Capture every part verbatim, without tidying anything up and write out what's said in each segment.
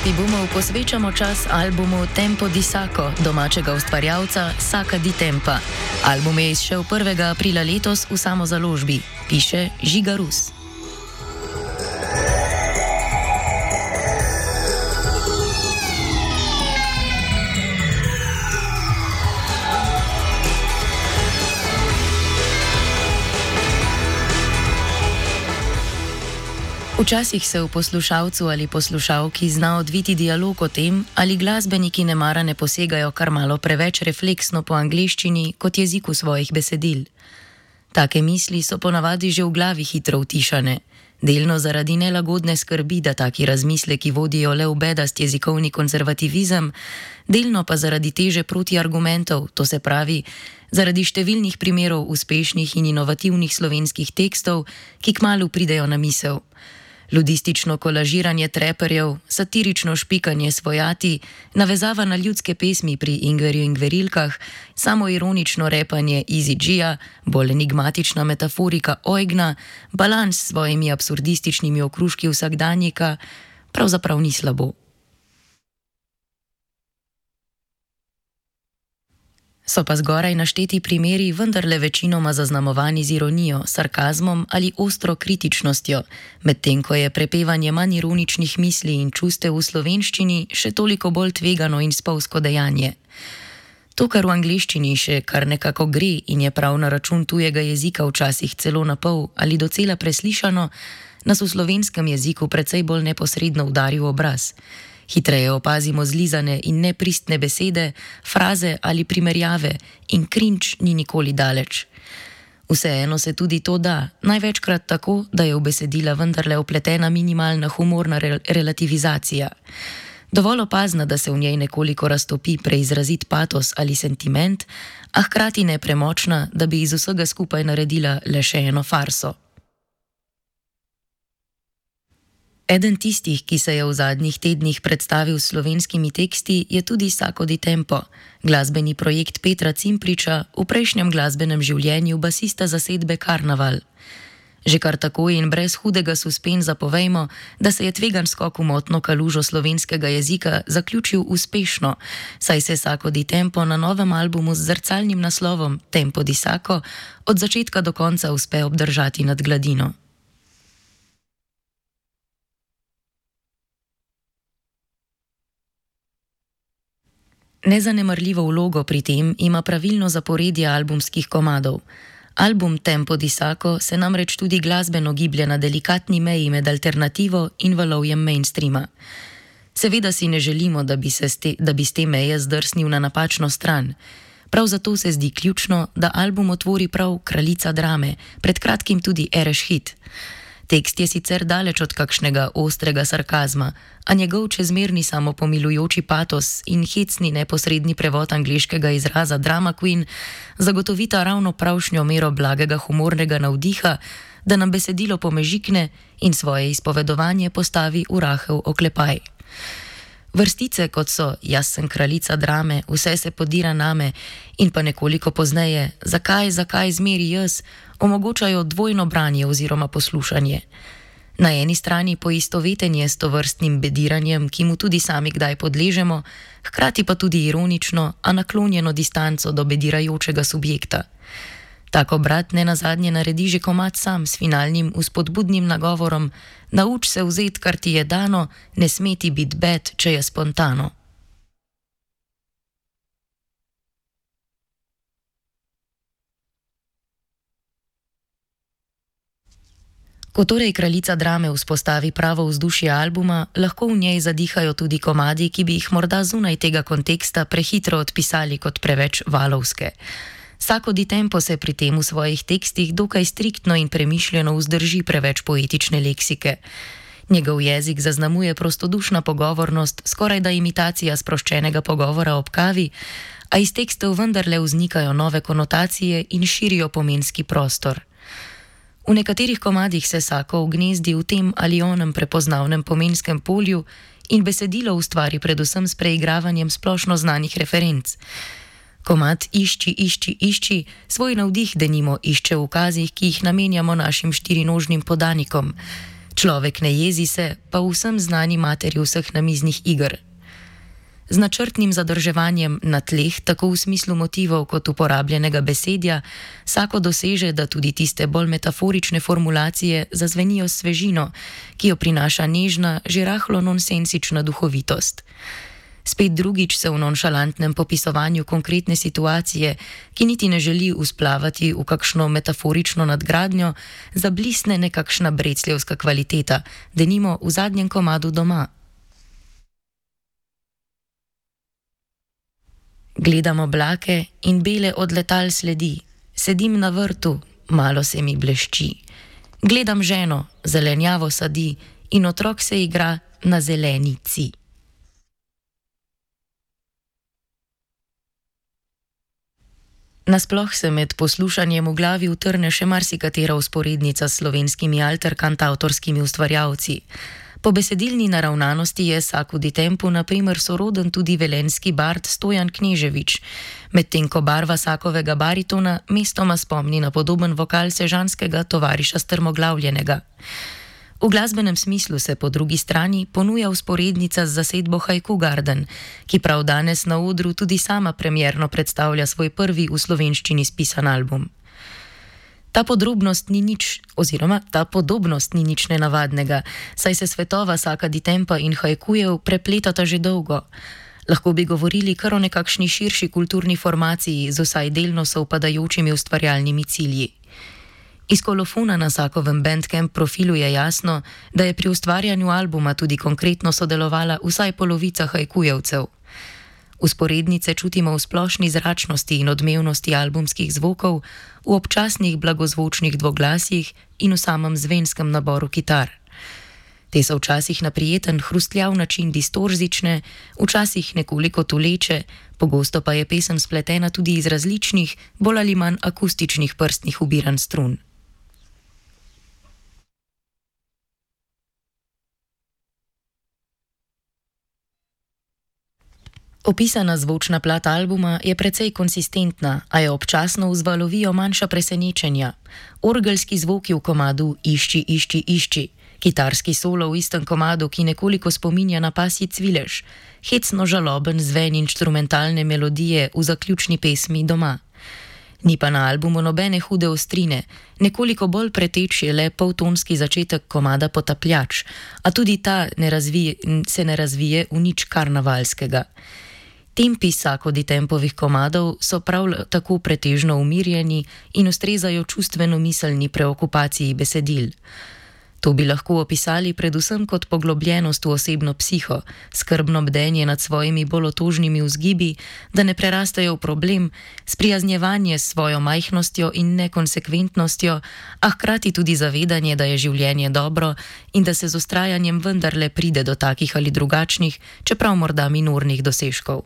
Šerpi Bumov posvečamo čas albumu Tempo di Sacco domačega ustvarjalca Sacca di Tempa. Album je izšel prvega aprila letos v samozaložbi, piše Žiga Rus. Včasih se v poslušalcu ali poslušalki zna odviti dialog o tem, ali glasbeniki nemara ne posegajo kar malo preveč refleksno po angleščini kot jeziku svojih besedil. Take misli so ponavadi že v glavi hitro utišane, delno zaradi nelagodne skrbi, da taki razmisleki vodijo le v bedast jezikovni konzervativizem, delno pa zaradi teže protiargumentov, to se pravi, zaradi številnih primerov uspešnih in inovativnih slovenskih tekstov, ki kmalu pridejo na misel. Ludistično kolažiranje treperjev, satirično špikanje svojati, navezava na ljudske pesmi pri Ingverju in Gverilkah, samoironično repanje Easy G-ja, bolj enigmatična metaforika Oigna, balans s svojimi absurdističnimi okruški vsakdanjika, pravzaprav ni slabo. So pa zgoraj našteti primeri vendarle večinoma zaznamovani z ironijo, sarkazmom ali ostro kritičnostjo, medtem ko je prepevanje manj ironičnih misli in čustev v slovenščini še toliko bolj tvegano in spolzko dejanje. To, kar v angleščini še kar nekako gre in je prav na račun tujega jezika včasih celo napol ali docela preslišano, nas v slovenskem jeziku precej bolj neposredno udari v obraz. Hitreje opazimo zlizane in nepristne besede, fraze ali primerjave in cringe ni nikoli daleč. Vseeno se tudi to da, največkrat tako, da je v besedila vendarle vpletena minimalna humorna re- relativizacija. Dovolj opazna, da se v njej nekoliko raztopi preizrazit patos ali sentiment, a hkrati ne premočna, da bi iz vsega skupaj naredila le še eno farso. Eden tistih, ki se je v zadnjih tednih predstavil s slovenskimi teksti, je tudi Sacco di Tempo, glasbeni projekt Petra Cimpriča, v prejšnjem glasbenem življenju basista zasedbe Karnaval. Že kar tako in brez hudega suspenza povejmo, da se je tvegan skok v motno kalužo slovenskega jezika zaključil uspešno, saj se Sacco di Tempo na novem albumu z zrcalnim naslovom Tempo di Sacco od začetka do konca uspe obdržati nad gladino. Nezanemarljivo vlogo pri tem ima pravilno zaporedje albumskih komadov. Album Tempo di Sacco se namreč tudi glasbeno giblje na delikatni meji med alternativo in valovjem mainstreama. Seveda si ne želimo, da bi, se ste, da bi s te meje zdrsnil na napačno stran. Prav zato se zdi ključno, da album otvori prav kraljica drame, pred kratkim tudi Ereš hit. Tekst je sicer daleč od kakšnega ostrega sarkazma, a njegov čezmerni samopomilujoči patos in hecni neposredni prevod angleškega izraza drama queen zagotovita ravno pravšnjo mero blagega humornega navdiha, da nam besedilo pomežikne in svoje izpovedovanje postavi v rahel oklepaj. Vrstice, kot so Jaz sem kraljica drame, Vse se podira name in pa nekoliko pozneje Zakaj, zakaj zmeri jaz, omogočajo dvojno branje oziroma poslušanje. Na eni strani poistovetenje s tovrstnim bediranjem, ki mu tudi sami kdaj podležemo, hkrati pa tudi ironično, a naklonjeno distanco do bedirajočega subjekta. Tako brat nenazadnje naredi že komad sam s finalnim vzpodbudnim nagovorom: Nauč se vzet, kar ti je dano, ne sme ti bit bed, če je spontano. Ko torej kraljica drame vzpostavi pravo vzdušje albuma, lahko v njej zadihajo tudi komadi, ki bi jih morda zunaj tega konteksta prehitro odpisali kot preveč valovske. Sacco di Tempo se pri tem v svojih tekstih dokaj striktno in premišljeno vzdrži preveč poetične leksike. Njegov jezik zaznamuje prostodušna pogovornost, skorajda imitacija sproščenega pogovora ob kavi, a iz tekstov vendarle vznikajo nove konotacije in širijo pomenski prostor. V nekaterih komadih se Sacco vgnezdi v tem ali onem prepoznavnem pomenskem polju in besedilo ustvari predvsem s preigravanjem splošno znanih referenc. Komad Išči, išči, išči svoj navdih denimo išče v ukazih, ki jih namenjamo našim štirinožnim podanikom. Človek ne jezi se, pa vsem znani materi vseh namiznih iger. Z načrtnim zadrževanjem na tleh, tako v smislu motivov kot uporabljenega besedja, Sako doseže, da tudi tiste bolj metaforične formulacije zazvenijo s svežino, ki jo prinaša nežna, že rahlo nonsensična duhovitost. Spet drugič se v nonšalantnem popisovanju konkretne situacije, ki niti ne želi usplavati v kakšno metaforično nadgradnjo, zablisne nekakšna brecljevska kvaliteta, denimo v zadnjem komadu Doma. Gledam oblake in bele od letal sledi, sedim na vrtu, malo se mi blešči. Gledam ženo, zelenjavo sadi in otrok se igra na zelenici. Nasploh se med poslušanjem v glavi utrne še marsikatera vzporednica s slovenskimi alterkantavtorskimi ustvarjalci. Po besedilni naravnanosti je Saku di Tempu na primer soroden tudi velenjski bard Stojan Kneževič, medtem ko barva Sakovega baritona mestoma spomni na podoben vokal sežanskega tovariša Strmoglavljenega. V glasbenem smislu se po drugi strani ponuja vzporednica z zasedbo Haiku Garden, ki prav danes na odru tudi sama premierno predstavlja svoj prvi v slovenščini spisan album. Ta podrobnost ni nič, oziroma ta podobnost ni nič nenavadnega, saj se svetova Saka di Tempa in haikujev prepletata že dolgo. Lahko bi govorili kar o nekakšni širši kulturni formaciji z vsaj delno sovpadajočimi ustvarjalnimi cilji. Iz kolofona na Sakovem Bandcamp profilu je jasno, da je pri ustvarjanju albuma tudi konkretno sodelovala vsaj polovica haikujevcev. Vzporednice čutimo v splošni zračnosti in odmevnosti albumskih zvokov, v občasnih blagozvočnih dvoglasjih in v samem zvenskem naboru kitar. Te so včasih na prijeten hrustljav način distorzične, včasih nekoliko tuleče, pogosto pa je pesem spletena tudi iz različnih, bolj ali manj akustičnih prstnih ubiranj strun. Opisana zvočna plat albuma je precej konsistentna, a jo občasno vzvalovijo manjša presenečenja. Orgelski zvoki v komadu Išči, išči, išči, kitarski solo v istem komadu, ki nekoliko spominja na pasji cvilež, hecno žaloben zven inštrumentalne melodije v zaključni pesmi Doma. Ni pa na albumu nobene hude ostrine, nekoliko bolj preteč je le poltonski začetek komada Potapljač, a tudi ta ne razvije, se ne razvije v nič karnavalskega. Tempi Sako di Tempovih komadov so prav tako pretežno umirjeni in ustrezajo čustveno miselni preokupaciji besedil. To bi lahko opisali predvsem kot poglobljenost v osebno psiho, skrbno bdenje nad svojimi bolj otožnimi vzgibi, da ne prerastejo v problem, sprijaznjevanje s svojo majhnostjo in nekonsekventnostjo, a hkrati tudi zavedanje, da je življenje dobro in da se z vztrajanjem vendarle pride do takih ali drugačnih, čeprav morda minornih dosežkov.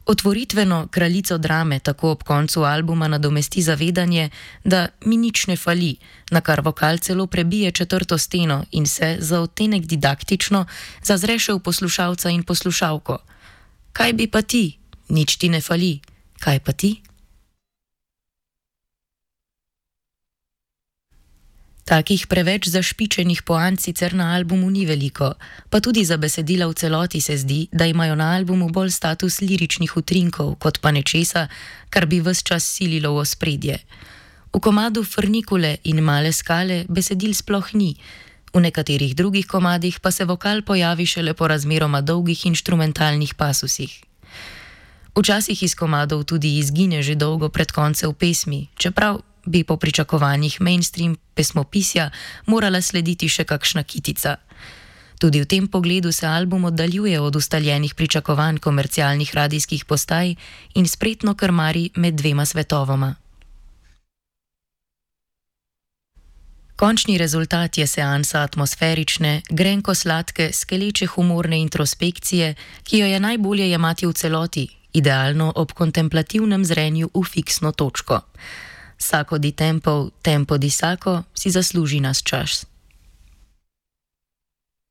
Otvoritveno kraljico drame tako ob koncu albuma nadomesti zavedanje, da mi nič ne fali, na kar vokal celo prebije četrto steno in se za odtenek didaktično zazreše v poslušalca in poslušalko. Kaj bi pa ti? Nič ti ne fali. Kaj pa ti? Takih preveč zašpičenih poant sicer na albumu ni veliko, pa tudi za besedila v celoti se zdi, da imajo na albumu bolj status liričnih utrinkov, kot pa nečesa, kar bi ves čas sililo v ospredje. V komadu Frnikule in Male skale besedil sploh ni, v nekaterih drugih komadih pa se vokal pojavi šele po razmeroma dolgih inštrumentalnih pasusih. Včasih iz komadov tudi izgine že dolgo pred koncem pesmi, čeprav bi po pričakovanjih mainstream pesmopisja morala slediti še kakšna kitica. Tudi v tem pogledu se album oddaljuje od ustaljenih pričakovanj komercialnih radijskih postaj in spretno krmari med dvema svetovoma. Končni rezultat je seansa atmosferične, grenko sladke, skeleče humorne introspekcije, ki jo je najbolje jemati v celoti, idealno ob kontemplativnem zrenju v fiksno točko. Sako di Tempo, Tempo di Sako si zasluži nas čas.